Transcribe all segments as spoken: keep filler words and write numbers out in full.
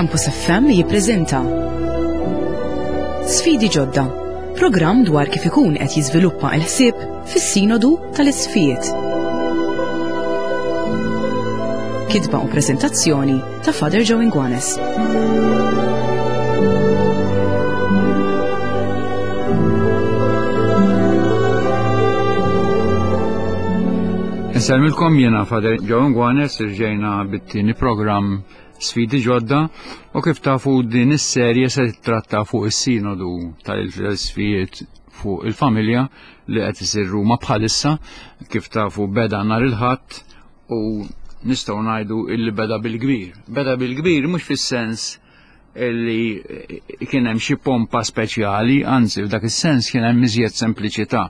Campus F M jippreżenta Sfidi Ġodda, programm dwar kif ikun qed jiżviluppa l-ħsieb fis-Sinodu tal-Isqfijiet. Kitba u preżentazzjoni ta' Father Joe Inguanes. Insellmilkom jiena Father Joe Inguanes, irġejna bit-tieni programm Sfidi Ġodda, u kif tafu din is-serje se titratta fuq is-Sinodu tal-Isqfijiet fuq il-familja li qed isir Ruma bħalissa. Kif tafu beda nhar il-Ħadd u nistgħu ngħidu illi beda bil-kbir. Beda bil-kbir mhux fis-sens illi kien hemm xi pompa speċjali, anzi f'dak is-sens kien hemm iżjed sempliċità.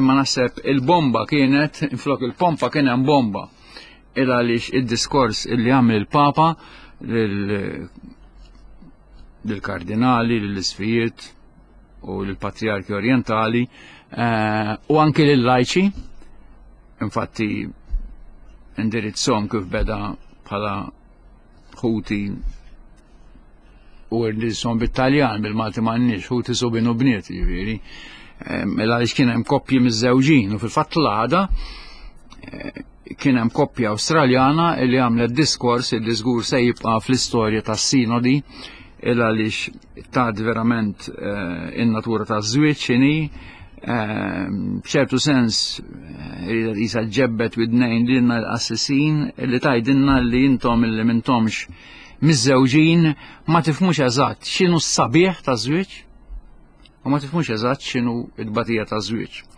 Imma naħseb il-bomba kienet, flok il-pompa kien hemm bomba. Il għaliex id-diskors illi għamel il-Papa lill-kardinali, lill-isqfijiet u lill-patriarki orientali, eh, u anki lill-lajċi, infatti indirizzhom kif beda bħala ħuti u indirizzhom bit-Taljan, bil-Malti m'għandniex, ħuti subin u bniet, jiġifieri. Eh, mela għaliex kien hemm koppji miż-żewġin u fil-fatt l-għada, eh, kien hemm koppja Awstraljana li għamlet diskors li żgur se jibqa' fl-istorja tas-sinodi, il għaliex tad verament, eh, in-natura taż-żwieġ x'inhi, eh, b'ċertu sens, eh, jisa ġebbet widnejn lilna l-qassisin li tgħidilna li intom illi m'intomx miż-żewġin ma tifhmux eżatt x'inhu s-sabiħ taż-żwieġ u ma tifhmux eżatt x'inhu t-tbatija taż-żwieġ.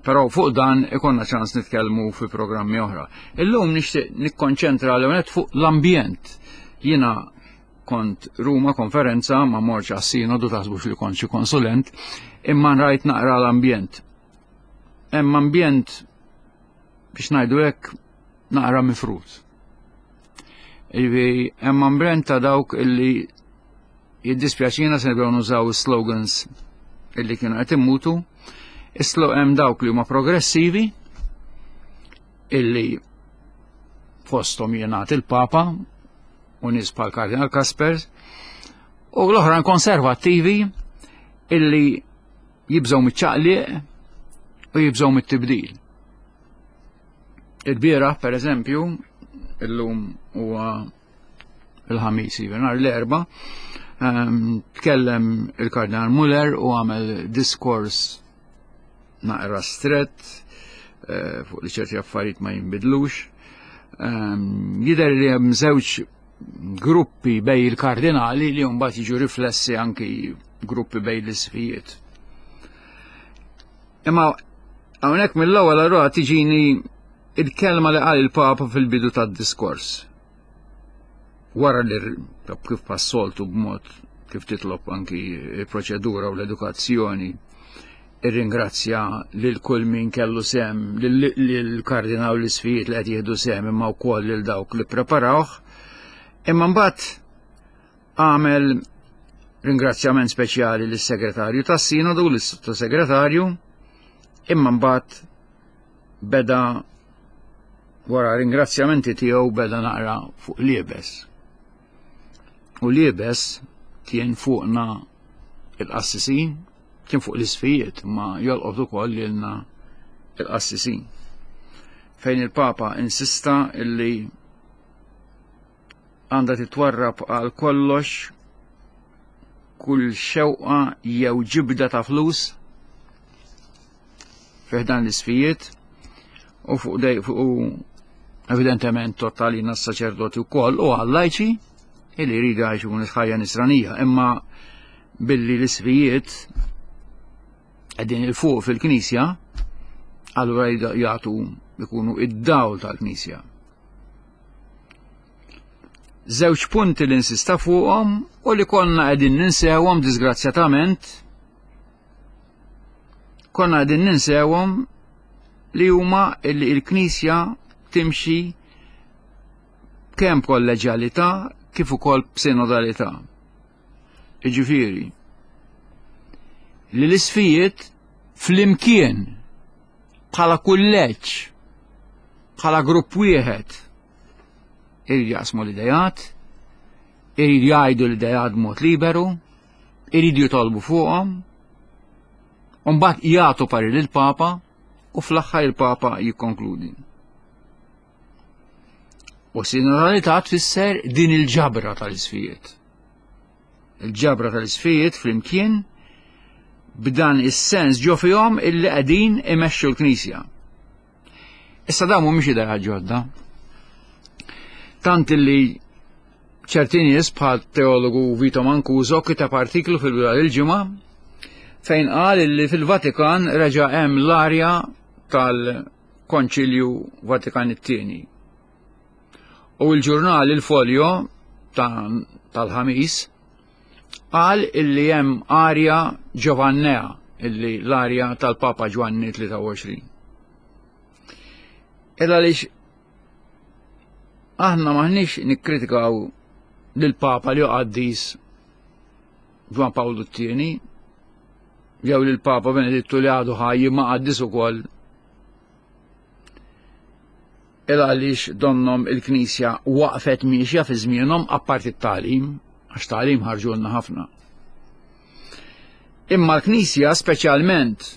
Però fuq dan ikonna ċans nitkellmu fi programmi oħra. Illum nixtieq nikkonċentra l-ewwel fuq l-ambjent. Jiena kont Ruma konferenza, ma morx għas-sinodu, taħsbux li kont xi konsulent, imma rajt naqra l-ambjent. Hemm ambjent biex ngħidu hekk naqra mifrut. Jiġifieri hemm ambjent ta' dawk illi jiddispjaċina se nibdew nużaw slogans illi kienu qed immutu. Islo hemm dawk li huma progressivi illi fosthom jingħad il-Papa u nies bħal Kardinal Kaspers, u l-oħrajn konservattivi illi jibżgħu miċ-ċaqliq u jibżgħu mit-tibdil. Il-bieraħ, per eżempju, illum huwa il-Ħamis, jiġifieri nhar l-Erbgħa, ehm, tkellem il-Kardinal Muller u għamel diskors naqra strett, eh, fuq li ċerti affarijiet ma jinbidlux. Ehm, jidher li hemm żewġ gruppi bej il-kardinali li mbagħad jiġu riflessi anki gruppi bej l-isqfijiet. Imma hawnhekk mill-ewwel allura tiġini il-kelma li qal il-Papa fil-bidu tad-diskors. Wara li r-, kif passoltu b'mod kif titlob anki il-proċedura u l-edukazzjoni, irringrazzja lil kull min kellu sem, lil, lil kardinal u l-isqfijiet li qed jieħdu sem, imma wkoll lil dawk li preparawh. Imma mbagħad għamel ringrazzjament speċjali lis-segretarju tas-sinodu, lis-sottosegretarju, imma mbagħad beda wara ringrazzjamenti tiegħu beda naqra fuq liebes. U liebes kien fuqna il-qassisin, kien fuq l-isqfijiet, ma jolqot ukoll lilna il-qassisin. Fejn il-Papa insista illi għandha titwarrab għal kollox kull xewqa jew ġibda ta' flus fih dan l-isqfijiet u fuq dej fuq u evidentement tottalina s-saċerdoti wkoll u għal-lajċi illi jridu jgħixu ħajja nisranija, imma billi l-isqfijiet qegħdin il fuq fil-Knisja, allura jagħtu ikunu id-dawl tal-Knisja. Żewġ punti li insista fuqhom u li konna qegħdin ninsewhom disgrazzjatament, konna qegħdin ninsewhom li huma li l-Knisja timxi kemm kolleġjalità kif ukoll b'sinodalità. Jiġifieri li l-isqfijiet flimkien bħala kulleġġ, bħala grupp wieħed, iridu jaqsmu l-idejat, Iridu jgħidu l-ideat b'mod liberu, iridu jitolbu fuqhom, u mbagħad jagħtu parir lill-Papa u fl-aħħar il-Papa jikkonkludi. U sinodalità tfisser din il-ġabra tal-isfijiet. Il-ġabra tal-isfijiet flimkien b'dan is-sens ġo fihom illi qegħdin imexxu l-Knisja. Issa dawn mhumiex idea ġodda. Tant illi ċerti nies bħal teologu Vito Mancuso kiteb artiklu fil-bidu il-ġimgħa fejn qal illi fil-Vatikan reġa' hemm l-arja tal-Konċilju Vatikan it-tieni. U l-ġurnal Il Foglio tal-Ħamis qal illi hemm arja Ġovannea, illi l-arja tal-Papa Ġwanni tlieta u għoxrin. Illa għaliex aħna maħniex nikkritikaw lill-Papa li qaddis Ġwan Pawlu t-tieni, jew lill-Papa Benedittu li għadu ħaj ma qaddis ukoll, il għaliex donnom il-Knisja waqfet miexja fi żmienhom, apparti t-tagħlim, għax tagħlim ħarġulna ħafna. Imma l-Knisja, speċjalment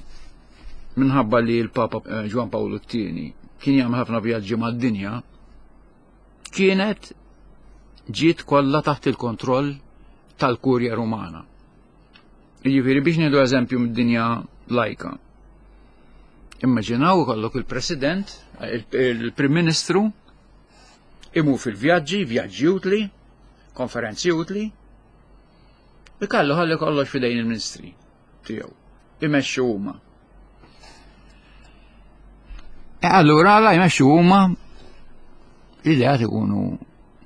minħabba li l-Papa eh, Ġwan Pawlu t-tieni kien jagħmel ħafna vjaġġi mad-dinja, kienet ġiet kollha taħt il-kontroll tal-Kurja Rumana. Jiġifieri, biex nieħdu eżempju mid-dinja lajka. Immaġinaw ikollok il-President, il-Prim Ministru, imur fil-vjaġġi, vjaġġi utli, konferenzi utli, ikallu ħalli kollox fidejn il-ministri tiegħu. Imexxu huma. E allura la jmexxu huma, l-ideat ikunu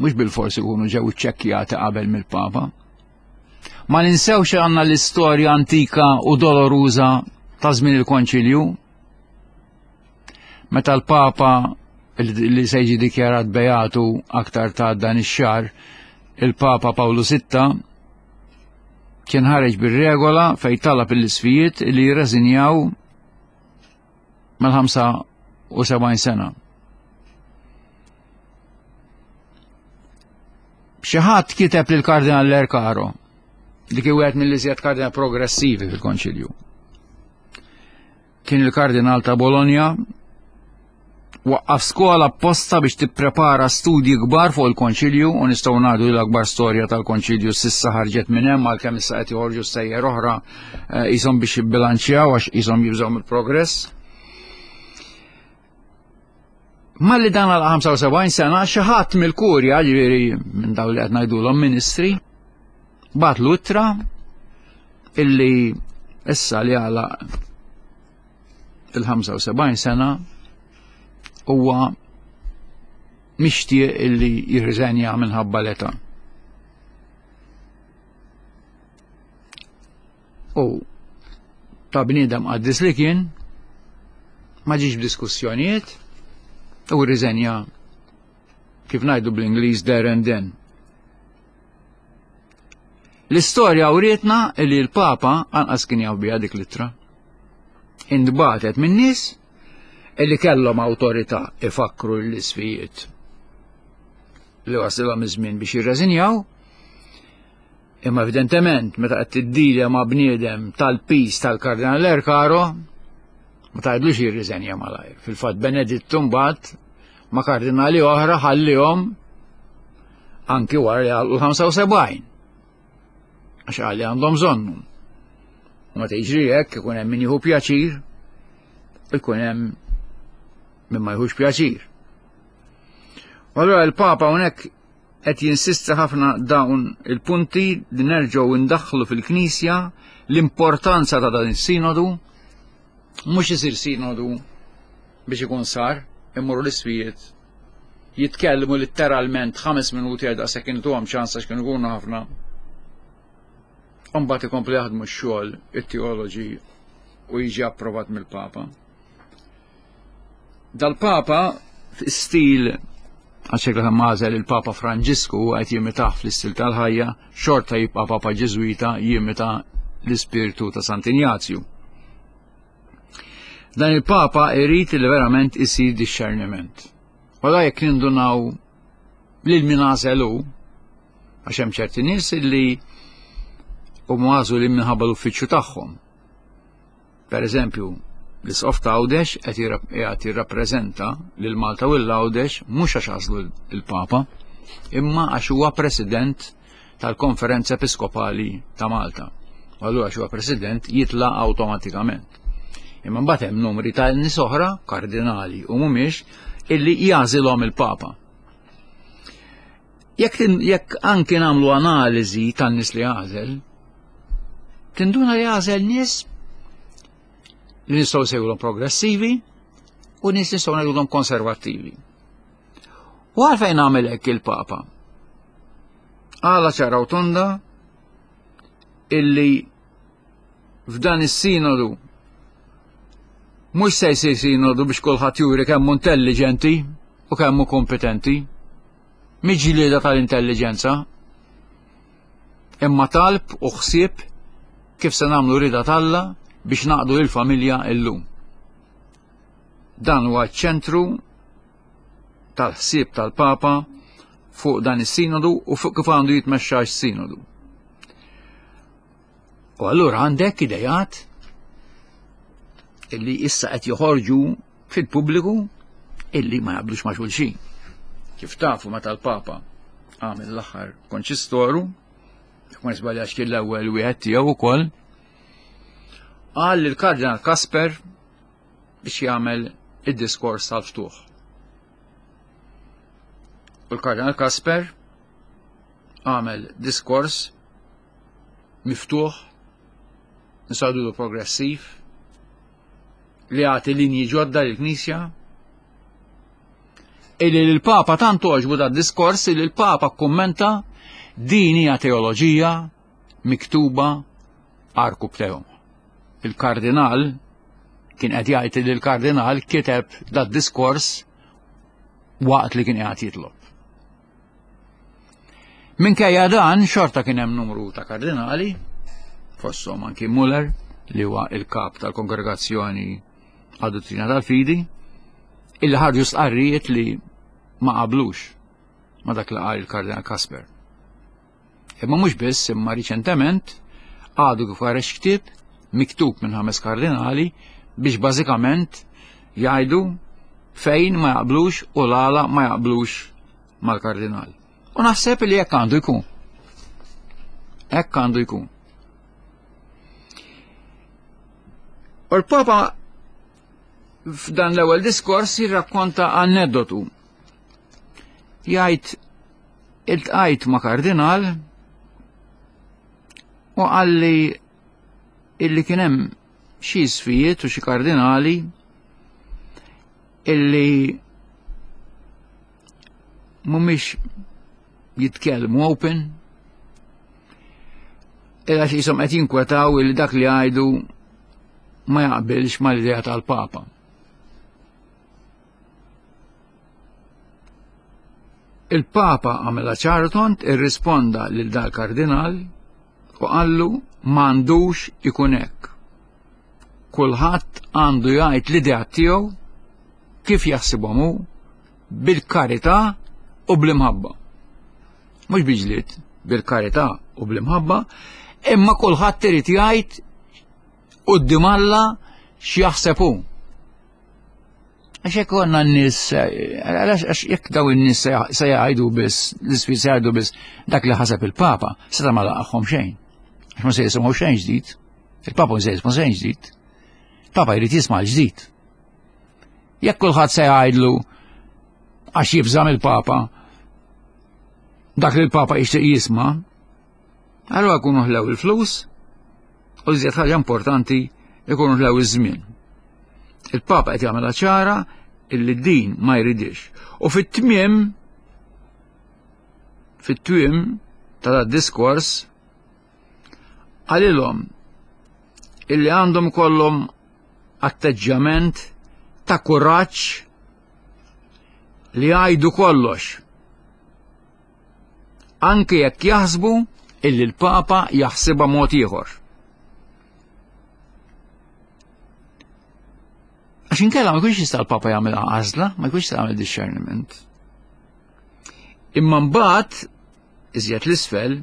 mhux bil-forsi ikunu ġew iċċekkjati qabel mill-Papa. Ma ninsewx għandna l-istorja antika u doloruża ta' żmien il-Konċilju. Meta l-Papa li se jiġi dikjarat beatu aktar ta' dan ix-xahar, il-Papa Pawlu Sitta, kien ħareġ bir-regola fejn talab l-isfijiet li jirreżinjaw mal-ħamsa u sebgħin sena. Xi ħadd kiteb lil Kardinal Lercaro, li kien wieħed mill-iżjed kardinal progressivi fil-Konċilju. Kien il-Kardinal ta' Bologna, waqqaf skola apposta biex tipprepara studji kbar fuq il-Konċilju, u nistgħu ngħidu li l-akbar storja tal-Konċilju s'issa ħarġet minn hemm, għalkemm issa qed joħorġu stejjer oħra qishom biex jibbilanċjaw għax qishom jibżgħu mill-progress. Malli dan għal ħamsa u sebgħin sena, xi ħadd mill-kurja, ġifieri minn dawn li qed ngħidulhom ministri, bagħatlu ittra illi issa li għalaq il-ħamsa u sebgħin sena huwa mixtieq illi jirriżenja minħabba l-età. U ta' bniedem qaddis li kien, ma ġiex b'diskussjonijiet u rriżenja, kif ngħidu bl-Ingliż, there and then. L-istorja urietna li l-Papa anqas kien jaf biha dik l-ittra. Intbagħtet minn nies illi kellhom awtorità ifakru l-isfijiet li wasilhom iż-żmien biex jirreżinjaw, imma evidentement meta qed tiddilja ma' bniedem tal-pis tal-Kardinal Lercaro, ma tgħidlux jirriżenja malajr. Fil-fatt Benedittu mbagħad ma' kardinali oħra ħallihom anki wara li għalqu l-ħamsa u sebgħin. Għax għalli għandhom bżonnu. U meta jiġri hekk, ikun hemm min jieħu pjaċir, ikun hemm min ma jieħux pjaċir. U allura il-Papa hawnhekk qed jinsisti ħafna dawn il-punti li nerġgħu ndaħħlu fil-Knisja l-importanza ta' dan is-sinodu, mhux isir sinodu biex ikun sar, immorru l-isfijiet jitkellmu letteralment ħames minuti għal daqshekk intuhom ċans għax kienu jkunu ħafna. Mbagħad ikomplu jaħdmu x-xogħol it-teoloġi u jiġi approvat mill-Papa. Dal-Papa stil għax hekk għażel il-Papa Franġisku, qed jimitah fl-istil tal-ħajja, xorta jibqa' Papa Ġiżwita, jimita l-ispirtu ta' Sant'Injazju. Dan il-Papa irid li verament isir discerniment. Wala jekk nindunaw lil min għażel hu, Għax hemm ċerti nies illi huma għażlu minħabba l-uffiċċju tagħhom. Per eżempju, l-Isqof ta' Għawdex qed jirrappreżenta lil Malta u l-Għawdex mhux għax għażlu il-Papa, imma għax huwa president tal-Konferenza Episkopali ta' Malta. U allura għax huwa president jitla' awtomatikament. Imma mbagħad hemm numri ta' nies oħra, kardinali u mhumiex, illi jagħżilhom il-Papa. Jekk jekk anki nagħmlu analiżi tan-nies li għażel, tinduna li għażel nies li nistgħu nsejħulhom progressivi u nies nistgħu ngħidulhom konservattivi. U għalfejn għamel hekk il-Papa? Għala ċara u tonda illi f'dan is-sinodu mhux se jsir sinodu biex kulħadd juri kemm hu intelligenti u kemm hu kompetenti. Mhix ġlieda tal-intelligenza, imma talb u ħsieb kif se nagħmlu rida t'Alla biex naqdu il-familja illum. Dan huwa ċ-ċentru tal-ħsieb tal-Papa fuq dan is-sinodu u fuq kif għandu jitmexxa s-sinodu. U allura għandek idejat illi issa qed joħorġu fil-pubbliku illi ma jaqblux ma' xulxin. Kif tafu meta l-Papa għamel l-aħħar konċistoru, jekk ma nisbaljax kien l-ewwel wieħed tiegħu ukoll, qal lill-Kardinal Kasper biex jagħmel id-diskors tal-ftuħ. U l-Kardinal Kasper għamel diskors miftuħ, nsadulu progressiv, li għati linji ġodda lill-Knisja, illi l-Papa tant għoġbu da diskors illi l-Papa kummenta din hija teoloġija miktuba għarkupptejhom. Il-Kardinal kien qed jgħid li l-Kardinal kiteb da diskors waqt li kien qiegħed jitlob. Minkejja dan xorta kien hemm numru ta' kardinali, fosthom anki Muller li huwa il-kap tal-Kongregazzjoni għad-Dottrina tal-Fidi, illi ħarġu stqarrijiet li ma qablux ma dak li qal il-Kardinal Kasper. Imma mhux biss, imma riċentement għadu kif ħareġ ktieb miktub minn ħames kardinali biex bażikament jgħidu fejn ma jaqblux u l-għala ma jaqblux mal-kardinal. U naħseb li hekk għandu jkun. Hekk għandu jkun. U l-Papa f'dan l-ewwel diskors jirrakkonta aneddotu. Jgħid iltqajt ma' kardinal u qalli illi kien hemm xi isfijiet u xi kardinali illi mhumiex jitkellmu open, illa xi jisom qed jinkwetaw illi dak li jgħidu ma jaqbilx mal-idea tal-Papa. Il-Papa għamela ċartont, irrisponda lil dal kardinal u qallu m'għandux ikun hekk. Kulħadd għandu jgħid l-idea tiegħu kif jaħsibhom hu bil-karità u bl-imħabba. Mhux biġliet, bil-karità u bl-imħabba, imma kulħadd irid jgħid quddiem Alla x'jaħseb hu. Għax jekk għandna n-nies, għax jekk daw in-nies se jgħidu biss, l-isfi se jgħidu biss dak li ħaseb il-Papa, seta' ma laqgħhom xejn. Għax ma se jisimgħu xejn ġdid. Il-Papa ma se jisma' xejn ġdid. Il-Papa jrid jisma' l-ġdid. Jekk kulħadd se jgħidlu għax jibża' mill-Papa dak li l-Papa jixtieq jisma', allura jkunu ħlew il-flus u iżjed ħaġa importanti jkunu ħlew iż-żmien. Il-Papa qed jagħmilha ċara illi din ma jridix. U fit-tmiem fit-tmiem ta' dat diskors qalilhom illi għandhom kollhom atteġġjament ta' kuraġġ li jgħidu kollox. Anke jekk jaħsbu illi l-Papa jaħsibha mod ieħor. Għax inkella ma jkunx jista' l-Papa jagħmel għażla, ma jkunx jista' jagħmel discernment. Imma mbagħad iżjed l-isfel,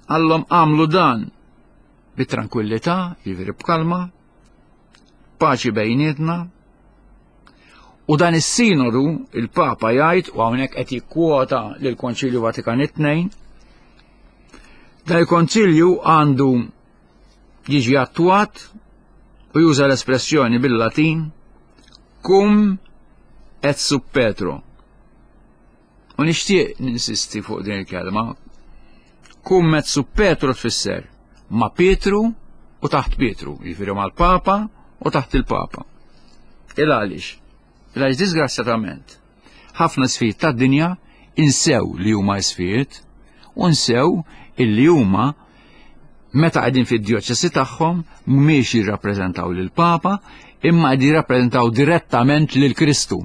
għallhom għamlu dan bit-tranquillità, jiġifieri b'kalma, paċi bejnietna. U dan is-sinodu il-Papa jgħid, u hawnhekk qed jikkwota lill-Konċilju Vatikan it-tnejn, dan il-Konċilju għandu jiġi attwat u juża l-espressjoni bil-Latin cum et sub Petro. U nixtieq ninsisti fuq din il-kelma. Cum et sub Petro tfisser ma' Pietru u taħt Pietru, jiġifieri mal-Papa u taħt il-Papa. Il għaliex? Il għaliex disgrazzjatament ħafna isfijiet tad-dinja insew li huma isfijiet u nsew illi huma meta qegħdin fid-djoċesi tagħhom mhumiex jirrappreżentaw lill-Papa imma qegħdin jirrappreżentaw direttament lil Kristu.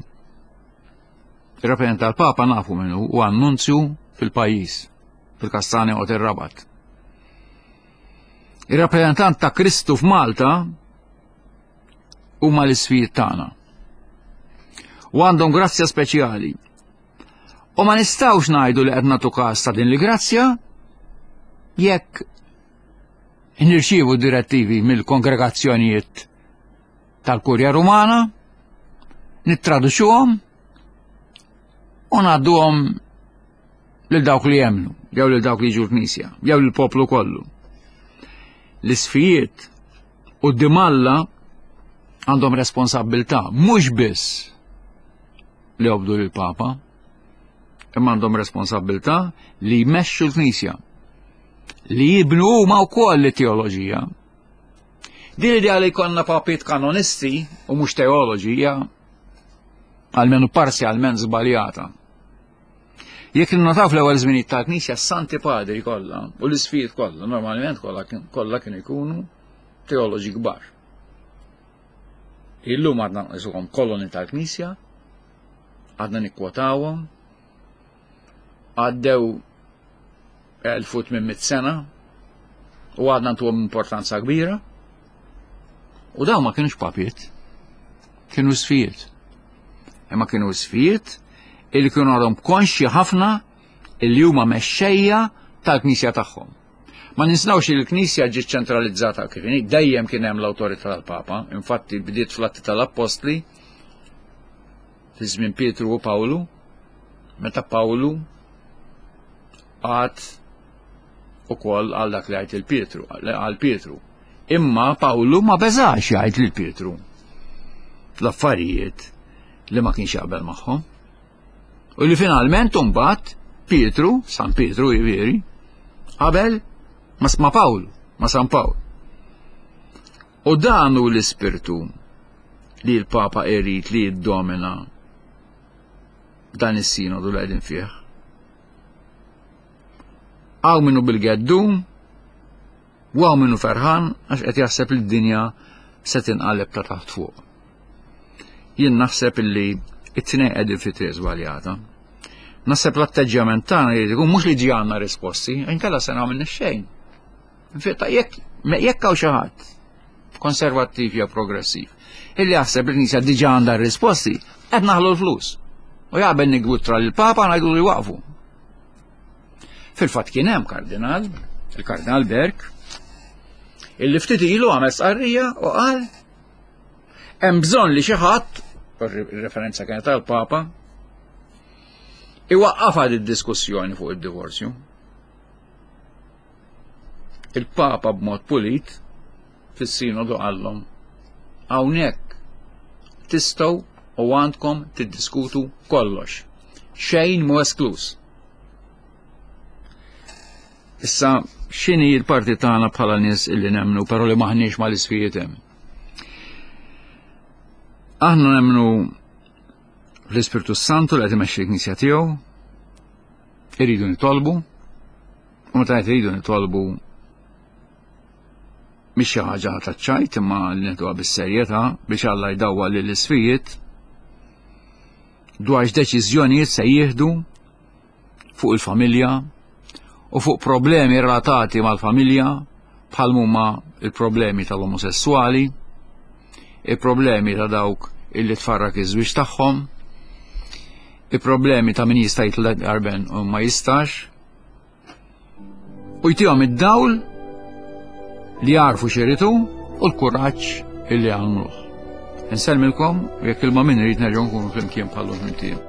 Ir-rappreżentant tal-Papa nafu minnu u annunzju fil-pajjiż, fil-Kastanja u ir-Rabat. Ir-rappreżentant ta' Kristu f'Malta huma l-isfijiet tagħna. U għandhom grazzja speċjali. U ma nistgħux ngħidu li qed nagħtu każ ta' din il-grazzja jekk nirċievu direttivi mill-kongregazzjonijiet tal-Kurja Rumana, nittraduċuhom u ngħadduhom lil dawk li jemmnu, jew lil dawk li jiġu l-Knisja, jew lill-poplu kollu. L-isfijiet u Alla għandhom responsabbiltà mhux biss li jobdu lill-Papa, imma għandhom responsabbiltà li jmexxu l-Knisja, li jibnu huma wkoll it-teoloġija. Din l-idea li jkollna papiet kanonisti u mhux teoloġi hija almenu parzjalment żbaljata. Jekk ninnotaw fl-ewwel żminijiet tal-Knisja s-Santi Padri kollha u l-isfijiet kollha normalment kollha kollha kienu jkunu teoloġi kbar. Illum għadna nqisuhom kolonni tal-Knisja, għadna nikkwotawhom, għaddew elf u tmien mitt sena u għadna ntuhom importanza kbira. U dawn ma kienux papiet, kienu isfijiet. Imma kienu isfijiet illi kienu għadhom konxji ħafna illi huma mexxejja tal-Knisja tagħhom. Ma ninsawx li l-Knisja ġiet ċentralizzata kif inhi, dejjem kien hemm l-awtorità tal-Papa, infatti bdiet fl-Atti tal-Appostli fi żmien Pietru u Pawlu, meta Pawlu għad ukoll għal dak li għajt il-Pietru, għal Pietru. Imma Pawlu ma beżax jgħid lil Pietru l-affarijiet li ma kienx jaqbel magħhom. U li finalment imbagħad Pietru, San Pietru jiġifieri, qabel ma ma Pawlu, ma San Pawl. U dan hu l-ispirtu li l-Papa irid li jiddomina dan is-sinodu li qegħdin fih. Hawn minnu bil-geddum, u hawn minnu ferħan għax qed jaħseb li d-dinja se tinqaleb ta' taħt fuq. Jien naħseb illi it-tnejn qegħdin fi triq żbaljata. Naħseb l-atteġġjament tagħna jrid ikun mhux li ġi għandna risposti, inkella se nagħmel xejn. Infetta jekk jekk hawn xi ħadd konservattiv jew progressiv illi jaħseb li l-Knisja diġà għandha r-risposti, qed naħlu l-flus. U jaqbel nigwittra lill-Papa ngħidu li waqfu. Fil-fatt kien hemm kardinal, il-Kardinal Berg, illi ftit ilu għamel stqarrija u qal hemm bżonn li xi ħadd, referenza kienet tal-Papa, iwaqqafha id-diskussjoni fuq id-divorzju. Il-Papa b'mod pulit fis-sinodu qallhom hawnhekk tistgħu u għandkom tiddiskutu kollox. Xejn mhu esklus. Issa x'inhi l-parti tagħna bħala nies illi nemmnu però li maħniex mal-isfijiet hemm. Aħna nemmnu l-Ispirtu Santu li qed imexxi l-Knisja tiegħu, irridu nitolbu, u meta qed iridu nitolbu mhix xi ħaġa ta' ċajt imma li neħduha bis-serjetà biex Alla jdawwal lill-isfijiet dwar x'deċiżjonijiet se jieħdu fuq il-familja u fuq problemi relatati mal-familja bħal huma il-problemi tal-omosessuali, il-problemi ta' dawk illi tfarrak iż-żwieġ tagħhom, il-problemi ta' min jista' jitlaq arben u ma jistax, U jtihom id-dawl li jarfu xiritu u l-kuraġġ illi għamluh. Insellmilkom u jekk il-ma min irid nerġgħu nkunu flimkien bħallu flimkien.